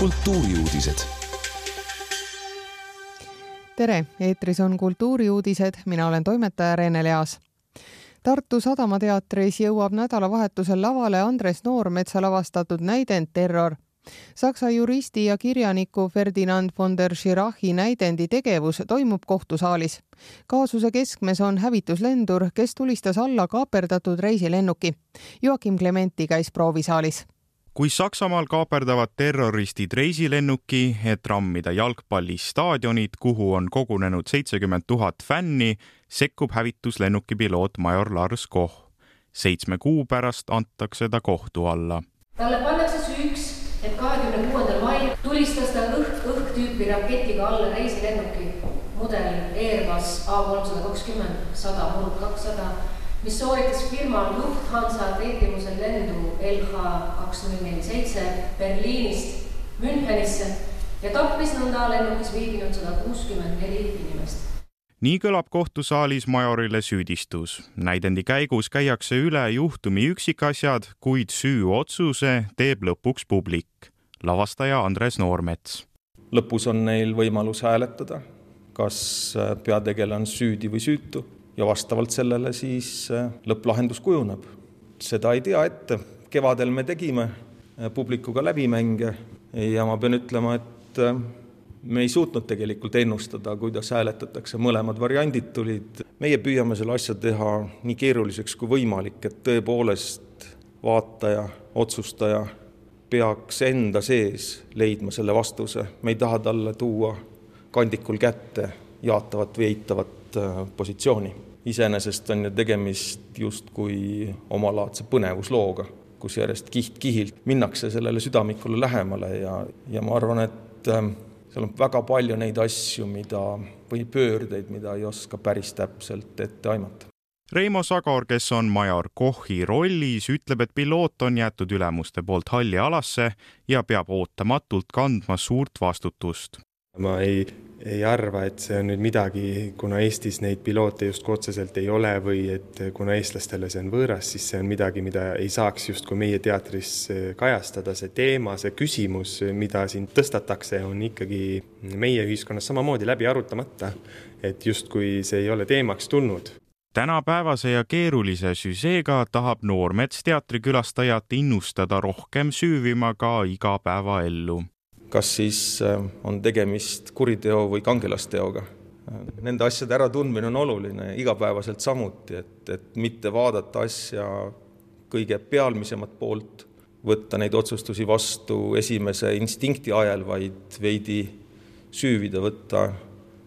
kultuuriuudised. Tere, eetris on kultuuriuudised, mina olen toimetaja Rene Leas. Tartu Sadamateatris jõuab nädalavahetusel lavale Andres Noormetsa lavastatud näidend Terror. Saksa juristi ja kirjaniku Ferdinand von der Schirachi näidendi tegevus toimub kohtusaalis. Kaasuse keskmes on hävituslendur, kes tulistas alla kaaperdatud reisilennuki. Joakim Clementi käis proovisaalis. Kui Saksamaal kaaperdavad terroristid reisilennuki, et rammida jalgpallistaadionid, kuhu on kogunenud 70 000 fänni, sekkub hävituslennuki piloot major Lars Koch. 7 kuu pärast antakse ta kohtu alla. Talle pannakse süüks, et 26. mail tulistas ta õhk-tüüpi raketiga alla reisilennuki mudel Airbus A320-100-200, mis sooritas firma Lufthansa tellimusel lendu LH2047 Berliinist Münchenisse ja tappis nõnda lennukis viibinud 164 inimest. Nii kõlab kohtusaalis majorile süüdistus. Näidendi käigus käiakse üle juhtumi üksikasjad, kuid süüotsuse teeb lõpuks publik. Lavastaja Andres Noormets. Lõpus on neil võimalus hääletada, kas peategele on süüdi või süütu. Ja vastavalt sellele siis lõpplahendus kujuneb. Seda ei tea ette. Kevadel me tegime publikuga läbimänge ja ma pean ütlema, et me ei suutnud tegelikult ennustada, kuidas hääletatakse. Mõlemad variandid tulid. Meie püüame selle asja teha nii keeruliseks kui võimalik, et tõepoolest vaataja, otsustaja peaks enda sees leidma selle vastuse. Me ei taha talle tuua kandikul kätte jaatavat või eitavat positsiooni. Iseenesest on ju tegemist justkui omalaadse põnevuslooga, kus järjest kiht-kihilt minnakse sellele südamikule lähemale ja ma arvan, et seal on väga palju neid asju, või pöördeid, mida ei oska päris täpselt ette aimata. Reimo Sagor, kes on major Kochi rollis, ütleb, et piloot on jäetud ülemuste poolt halli alasse ja peab ootamatult kandma suurt vastutust. Ma ei arva, et see on nüüd midagi, kuna Eestis neid piloote just otseselt ei ole või et kuna eestlastele see on võõras, siis see on midagi, mida ei saaks just kui meie teatris kajastada. See teema, see küsimus, mida siin tõstatakse, on ikkagi meie ühiskonnas samamoodi läbi arutamata, et just kui see ei ole teemaks tulnud. Tänapäevase ja keerulise süseega tahab Noormets teatrikülastajat innustada rohkem süüvima ka igapäevaellu. Kas siis on tegemist kuriteo või kangelasteoga. Nende asjade äratundmine on oluline igapäevaselt samuti, et mitte vaadata asja kõige pealmisemat poolt, võtta neid otsustusi vastu esimese instinkti ajal, vaid veidi süüvida, võtta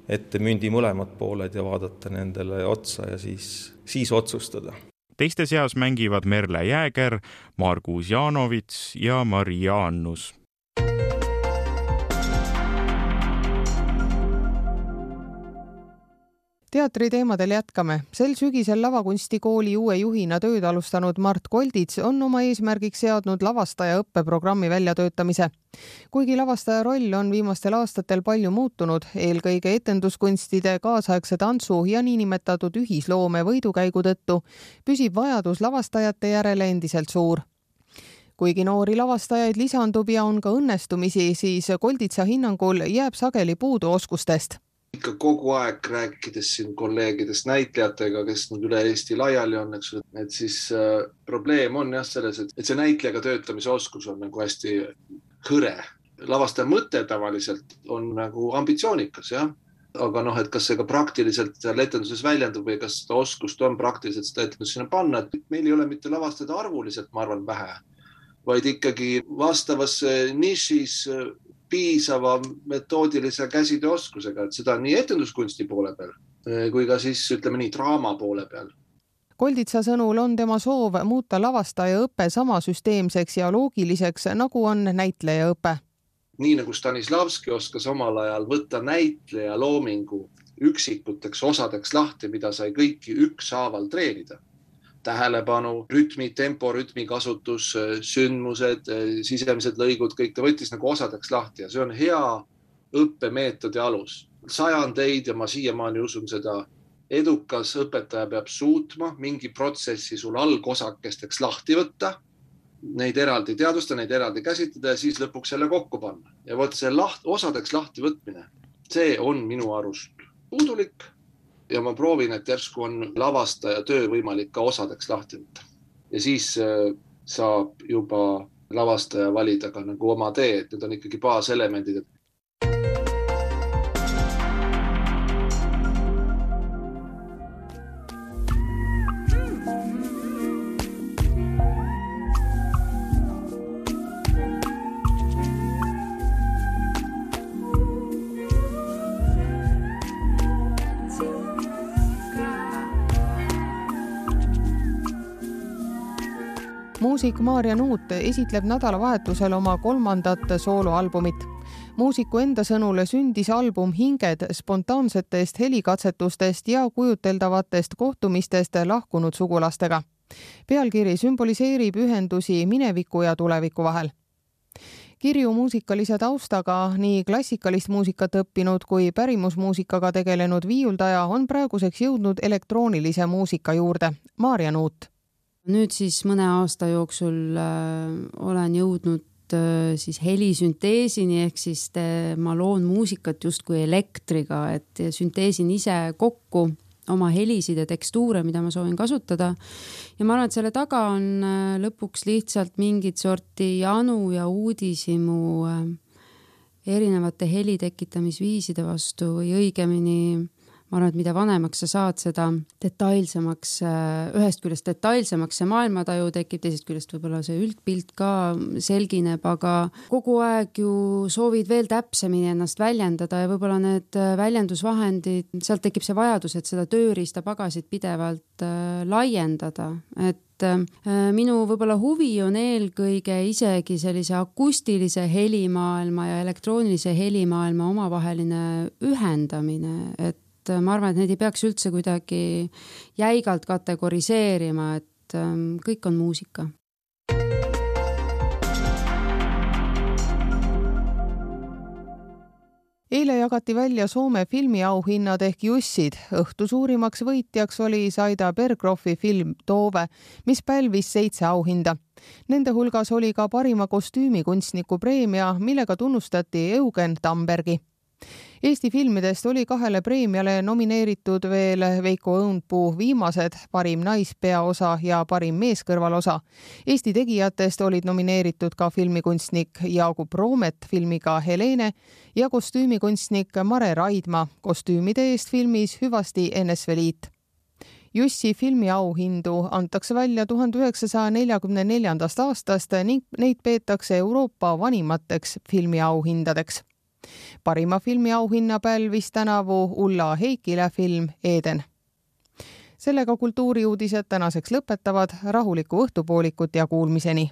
ette mündi mõlemad pooled ja vaadata nendele otsa ja siis otsustada. Teiste seas mängivad Merle Jääger, Margus Janovits ja Maria Annus. Teatri teemadel jätkame. Sel sügisel lavakunstikooli uue juhina tööd alustanud Mart Koldits on oma eesmärgiks seadnud lavastaja õppeprogrammi väljatöötamise. Kuigi lavastaja roll on viimastel aastatel palju muutunud, eelkõige etenduskunstide, kaasaegse tantsu ja niinimetatud ühisloome võidukäigu tõttu, püsib vajadus lavastajate järele endiselt suur. Kuigi noori lavastajaid lisandub ja on ka õnnestumisi, siis Kolditsa hinnangul jääb sageli puudu oskustest. Ikka kogu aeg rääkides siin kolleegidest näitlejatega, kes nüüd üle Eesti laiali on, et siis probleem on jah selles, et see näitlejaga töötamise oskus on nagu hästi hõre. Lavastaja mõte tavaliselt on nagu ambitsioonikas, jah? Aga et kas see ka praktiliselt etenduses väljendub või kas seda oskust on praktiliselt seda etendus sinna panna, et meil ei ole mitte lavastajad arvuliselt, ma arvan, vähe, vaid ikkagi vastavas nišis piisava metoodilise käsitööoskusega, et seda nii etenduskunsti poole peal kui ka siis ütleme nii draama poole peal. Kolditsa sõnul on tema soov muuta lavastaja õppe sama süsteemseks ja loogiliseks, nagu on näitleja õpe. Nii nagu Stanislavski oskas omal ajal võtta näitleja loomingu üksikuteks osadeks lahti, mida sai kõiki ükshaaval treenida. Tähelepanu, rütmi, tempo, rütmi kasutus, sündmused, sisemised lõigud, kõik ta võttis nagu osadeks lahti ja see on hea õppemeetodi alus. Sajandeid ja ma siiamaani usun seda, edukas õpetaja peab suutma mingi protsessi sul algosakesteks lahti võtta neid eraldi teadvustada, neid eraldi käsitleda ja siis lõpuks jälle kokku panna. Ja vot see osadeks lahti võtmine, see on minu arust puudulik ja ma proovin, et järsku on lavastaja töö võimalik ka osadeks lahti võtta. Ja siis saab juba lavastaja valida ka nagu oma tee, et need on ikkagi baaselemendid. Muusik Maarja Nuut esitleb nädalavahetusel oma 3. sooloalbumit. Muusiku enda sõnule sündis album Hinged spontaansetest helikatsetustest ja kujuteldavatest kohtumistest lahkunud sugulastega. Pealkiri sümboliseerib ühendusi mineviku ja tuleviku vahel. Kirju muusikalise taustaga nii klassikalist muusikat õppinud kui pärimusmuusikaga tegelenud viiuldaja on praeguseks jõudnud elektroonilise muusika juurde. Maarja Nuut. Nüüd siis mõne aasta jooksul olen jõudnud siis helisünteesini, ehk siis ma loon muusikat justkui elektriga, et sünteesin ise kokku oma helisid ja tekstuure, mida ma soovin kasutada. Ja ma arvan, et selle taga on lõpuks lihtsalt mingid sorti janu ja uudishimu erinevate heli tekitamisviiside vastu või õigemini ma arvan, et mida vanemaks sa saad, seda detailsemaks, ühest küljest detailsemaks see maailmataju tekib, teisest küljest võib-olla see üldpilt ka selgineb, aga kogu aeg ju soovid veel täpsemini ennast väljendada ja võib-olla need väljendusvahendid, sealt tekib see vajadus, et seda tööriistapagasit pidevalt laiendada, et minu võib-olla huvi on eelkõige isegi sellise akustilise helimaailma ja elektroonilise helimaailma omavaheline ühendamine, et ma arvan, et neid ei peaks üldse kuidagi jäigalt kategoriseerima, et kõik on muusika. Eile jagati välja Soome filmiauhinnad ehk Jussid. Õhtu suurimaks võitjaks oli Saida Bergroffi film Toove, mis pälvis 7 auhinda. Nende hulgas oli ka parima kostüümikunstniku preemia, millega tunnustati Eugen Tambergi. Eesti filmidest oli 2 preemiale nomineeritud veel Veiko Õunpuu Viimased, parim naispeaosa ja parim meeskõrvalosa. Eesti tegijatest olid nomineeritud ka filmikunstnik Jaagup Roomet filmiga Helene ja kostüümikunstnik Mare Raidma kostüümide eest filmis Hüvasti NSV Liit. Jussi filmiauhindu antakse välja 1944. aastast ning neid peetakse Euroopa vanimateks filmiauhindadeks. Parima filmiauhinna pälvis tänavu Ulla Heikile film Eden. Sellega kultuuriuudised tänaseks lõpetavad. Rahulikku õhtupoolikut ja kuulmiseni!